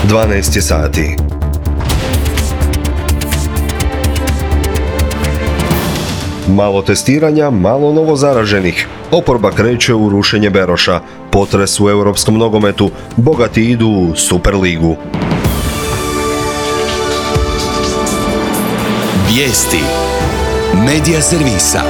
12 je sati. Malo testiranja, malo novo zaraženih. Oporba kreće u rušenje Beroša. Potres u europskom nogometu. Bogati idu u Superligu. Vijesti Medija servisa.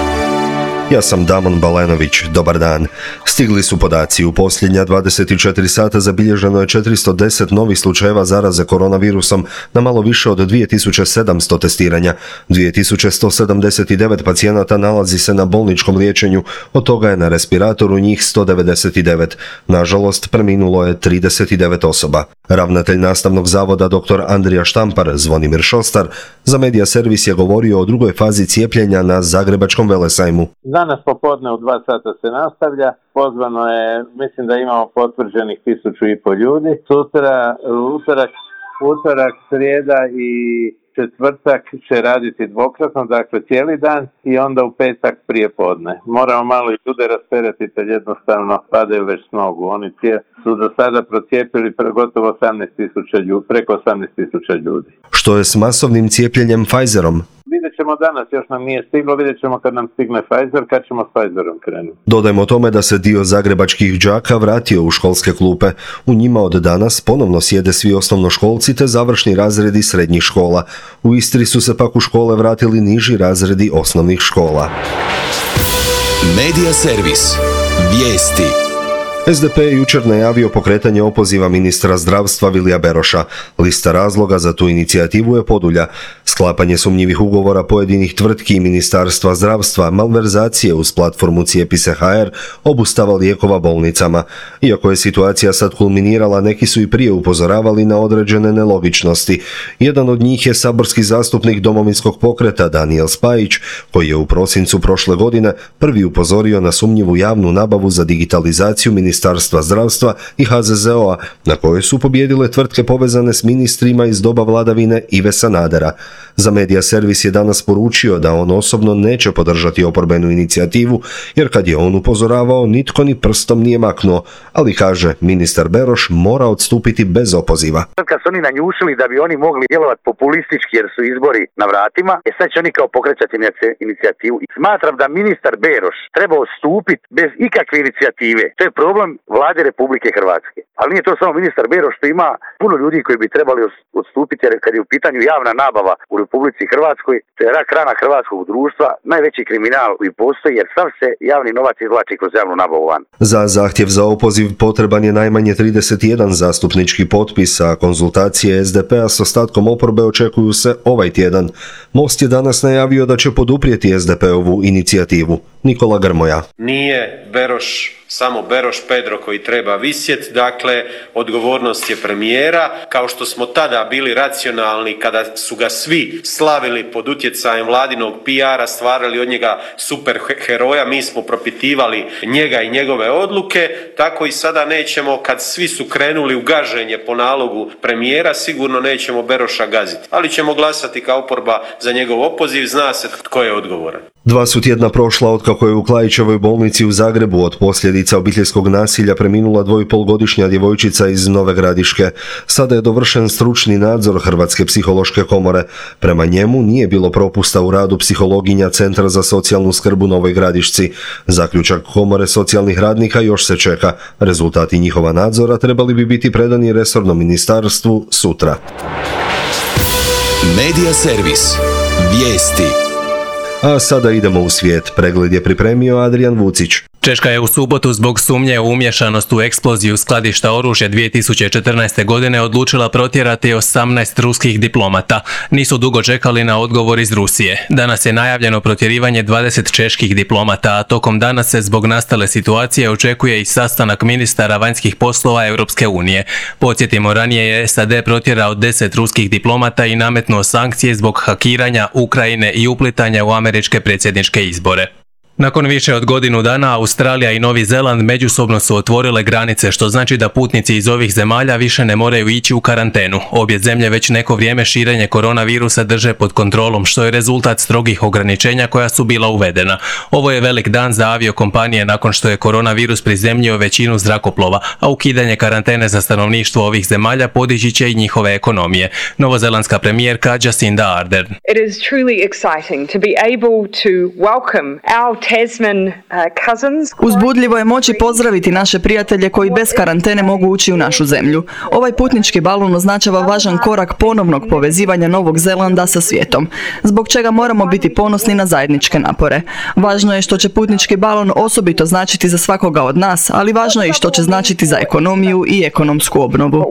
Ja sam Damon Balenović, dobar dan. Stigli su podaci. U posljednja 24 sata zabilježeno je 410 novih slučajeva zaraze koronavirusom na malo više od 2700 testiranja. 2179 pacijenata nalazi se na bolničkom liječenju, od toga je na respiratoru njih 199. Nažalost, preminulo je 39 osoba. Ravnatelj nastavnog zavoda dr. Andrija Štampar, Zvonimir Šostar, za Medija servis je govorio o drugoj fazi cijepljenja na Zagrebačkom velesajmu. Danas popodne u 2 sata se nastavlja. Pozvano je, mislim da imamo potvrđenih 1500 ljudi. Sutra, utorak, srijeda i četvrtak će raditi dvokratno, dakle cijeli dan, i onda u petak prije podne. Moramo malo i ljude rasteretiti, jer jednostavno padaju već s nogu. Oni su do sada procijepili gotovo 18.000 ljudi, preko 18.000 ljudi. Što je s masovnim cijepljenjem Pfizerom? Vidjet ćemo danas, još nam nije stiglo, vidjet ćemo kad nam stigne Pfizer, kad ćemo s Pfizerom krenuti. Dodajmo tome da se dio zagrebačkih đaka vratio u školske klupe. U njima od danas ponovno sjede svi osnovnoškolci te završni razredi srednjih škola. U Istri su se pak u škole vratili niži razredi osnovnih škola. Medija servis. Vijesti. SDP je jučer najavio pokretanje opoziva ministra zdravstva Vilija Beroša. Lista razloga za tu inicijativu je podulja. Sklapanje sumnjivih ugovora pojedinih tvrtki i ministarstva zdravstva, malverzacije uz platformu Cijepise.hr, obustava lijekova bolnicama. Iako je situacija sad kulminirala, neki su i prije upozoravali na određene nelogičnosti. Jedan od njih je saborski zastupnik Domovinskog pokreta Danijel Spajić, koji je u prosincu prošle godine prvi upozorio na sumnjivu javnu nabavu za digitalizaciju Ministarstva zdravstva i HZZO-a, na kojoj su pobijedile tvrtke povezane s ministrima iz doba vladavine Ive Sanadera. Za Medija servis je danas poručio da on osobno neće podržati oporbenu inicijativu, jer kad je on upozoravao, nitko ni prstom nije maknuo, ali kaže, ministar Beroš mora odstupiti bez opoziva. Kad su oni nanjušili da bi oni mogli djelovati populistički jer su izbori na vratima, sad će oni kao pokrećati inicijativu. Smatram da ministar Beroš treba odstupiti bez ikakve inicijative. To je problem vlade Republike Hrvatske. Ali nije to samo ministar Beroš, što ima puno ljudi koji bi trebali odstupiti, jer kad je u pitanju javna nabava u Republici Hrvatskoj, to je rak rana hrvatskog društva, najveći kriminal koji postoji, jer sav se javni novac izvlači kroz javnu nabavu van. Za zahtjev za opoziv potreban je najmanje 31 zastupnički potpis, a konzultacije SDP-a s ostatkom oporbe očekuju se ovaj tjedan. Most je danas najavio da će poduprijeti SDP-ovu inicijativu. Nikola Grmoja. Nije samo Beroš Pedro koji treba visjet, dakle odgovornost je premijera. Kao što smo tada bili racionalni kada su ga svi slavili pod utjecajem vladinog PR-a, stvarali od njega super heroja, mi smo propitivali njega i njegove odluke, tako i sada nećemo, kad svi su krenuli u gaženje po nalogu premijera, sigurno nećemo Beroša gaziti, ali ćemo glasati kao oporba za njegov opoziv, zna se tko je odgovoran. 2 su tjedna prošla otkako je u Klaićevoj bolnici u Zagrebu od posljedica obiteljskog nasilja preminula 2,5-godišnja djevojčica iz Nove Gradiške. Sada je dovršen stručni nadzor Hrvatske psihološke komore. Prema njemu nije bilo propusta u radu psihologinja Centra za socijalnu skrb u Novoj Gradišci. Zaključak komore socijalnih radnika još se čeka. Rezultati njihova nadzora trebali bi biti predani resornom ministarstvu sutra. Medija servis. Vijesti. A sada idemo u svijet. Pregled je pripremio Adrijan Vucić. Češka je u subotu zbog sumnje u umješanost u eksploziju skladišta oružja 2014. godine odlučila protjerati 18 ruskih diplomata. Nisu dugo čekali na odgovor iz Rusije. Danas je najavljeno protjerivanje 20 čeških diplomata, a tokom dana se zbog nastale situacije očekuje i sastanak ministara vanjskih poslova Europske unije. Podsjetimo, ranije je SAD protjerao 10 ruskih diplomata i nametnuo sankcije zbog hakiranja Ukrajine i uplitanja u američke predsjedničke izbore. Nakon više od godinu dana Australija i Novi Zeland međusobno su otvorile granice, što znači da putnici iz ovih zemalja više ne moraju ići u karantenu. Obje zemlje već neko vrijeme širenje koronavirusa drže pod kontrolom, što je rezultat strogih ograničenja koja su bila uvedena. Ovo je velik dan za aviokompanije nakon što je koronavirus prizemljio većinu zrakoplova, a ukidanje karantene za stanovništvo ovih zemalja podići će i njihove ekonomije. Novozelandska premijerka Jacinda Ardern. It is truly exciting to be able to welcome our Tasman cousins. Uzbudljivo je moći pozdraviti naše prijatelje koji bez karantene mogu ući u našu zemlju. Ovaj putnički balon označava važan korak ponovnog povezivanja Novog Zelanda sa svijetom, zbog čega moramo biti ponosni na zajedničke napore. Važno je što će putnički balon osobito značiti za svakoga od nas, ali važno je i što će značiti za ekonomiju i ekonomsku obnovu.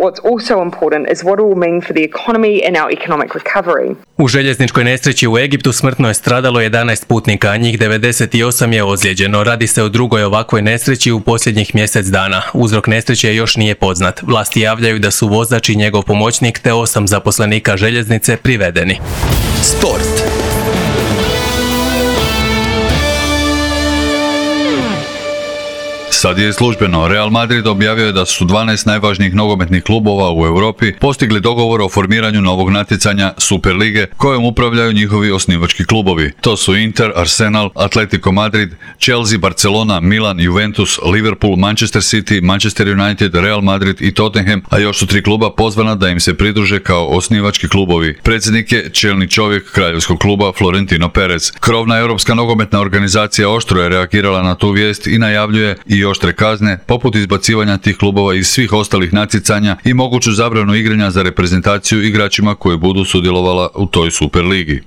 U željezničkoj nesreći u Egiptu smrtno je stradalo 11 putnika, a njih 98 je ozlijeđeno. Radi se o drugoj ovakvoj nesreći u posljednjih mjesec dana. Uzrok nesreće još nije poznat. Vlasti javljaju da su vozač i njegov pomoćnik te 8 zaposlenika željeznice privedeni. Sport. Sad je službeno. Real Madrid objavio je da su 12 najvažnijih nogometnih klubova u Europi postigli dogovor o formiranju novog natjecanja Superlige kojom upravljaju njihovi osnivački klubovi. To su Inter, Arsenal, Atletico Madrid, Chelsea, Barcelona, Milan, Juventus, Liverpool, Manchester City, Manchester United, Real Madrid i Tottenham, a još su 3 kluba pozvana da im se pridruže kao osnivački klubovi. Predsjednik je čelni čovjek kraljevskog kluba Florentino Perez. Krovna europska nogometna organizacija oštro je reagirala na tu vijest i najavljuje i oštre kazne, poput izbacivanja tih klubova iz svih ostalih natjecanja i moguću zabranu igranja za reprezentaciju igračima koji budu sudjelovala u toj Superligi.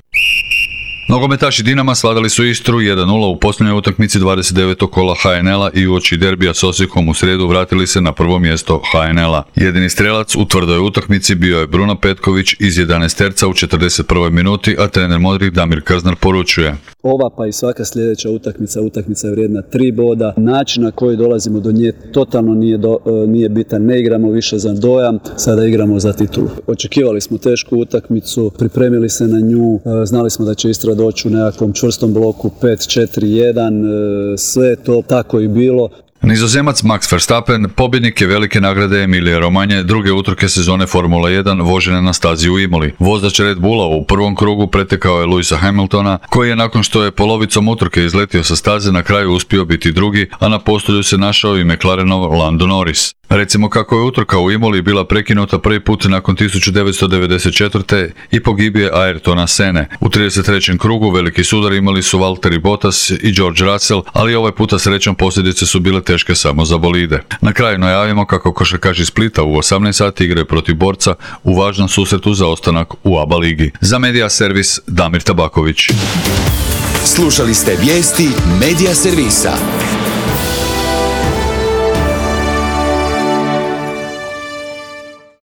Nogometaši Dinama svladali su Istru 1-0 u posljednjoj utakmici 29. kola HNL-a i uoči derbija s Osijekom u srijedu vratili se na prvo mjesto HNL-a. Jedini strelac u tvrdoj utakmici bio je Bruno Petković iz 11 terca u 41. minuti, a trener Modrić Damir Krznar poručuje: ova pa i svaka sljedeća utakmica je vrijedna 3 boda. Način na koji dolazimo do nje totalno nije bitan. Ne igramo više za dojam, sada igramo za titulu. Očekivali smo tešku utakmicu, pripremili se na nju, znali smo da će Istra doći u nekakvom čvrstom bloku 5-4-1, sve to tako i bilo. Nizozemac Max Verstappen pobjednik je velike nagrade Emilije Romanje druge utrke sezone Formula 1 vožene na stazi u Imoli. Vozač Red Bulla u prvom krugu pretekao je Lewisa Hamiltona, koji je nakon što je polovicom utrke izletio sa staze na kraju uspio biti drugi, a na postolju se našao i McLarenov Lando Norris. Recimo kako je utrka u Imoli bila prekinuta prvi put nakon 1994. i pogibije Ayrtona Sene. U 33. krugu veliki sudar imali su Valtteri Bottas i George Russell, ali ovaj puta srećom posljedice su bile teške samo za bolide. Na kraju najavimo kako košarkaši Splita u 18 sati igraju protiv Borca u važnom susretu za ostanak u ABA ligi. Za Media Servis Damir Tabaković. Slušali ste vijesti Media Servisa.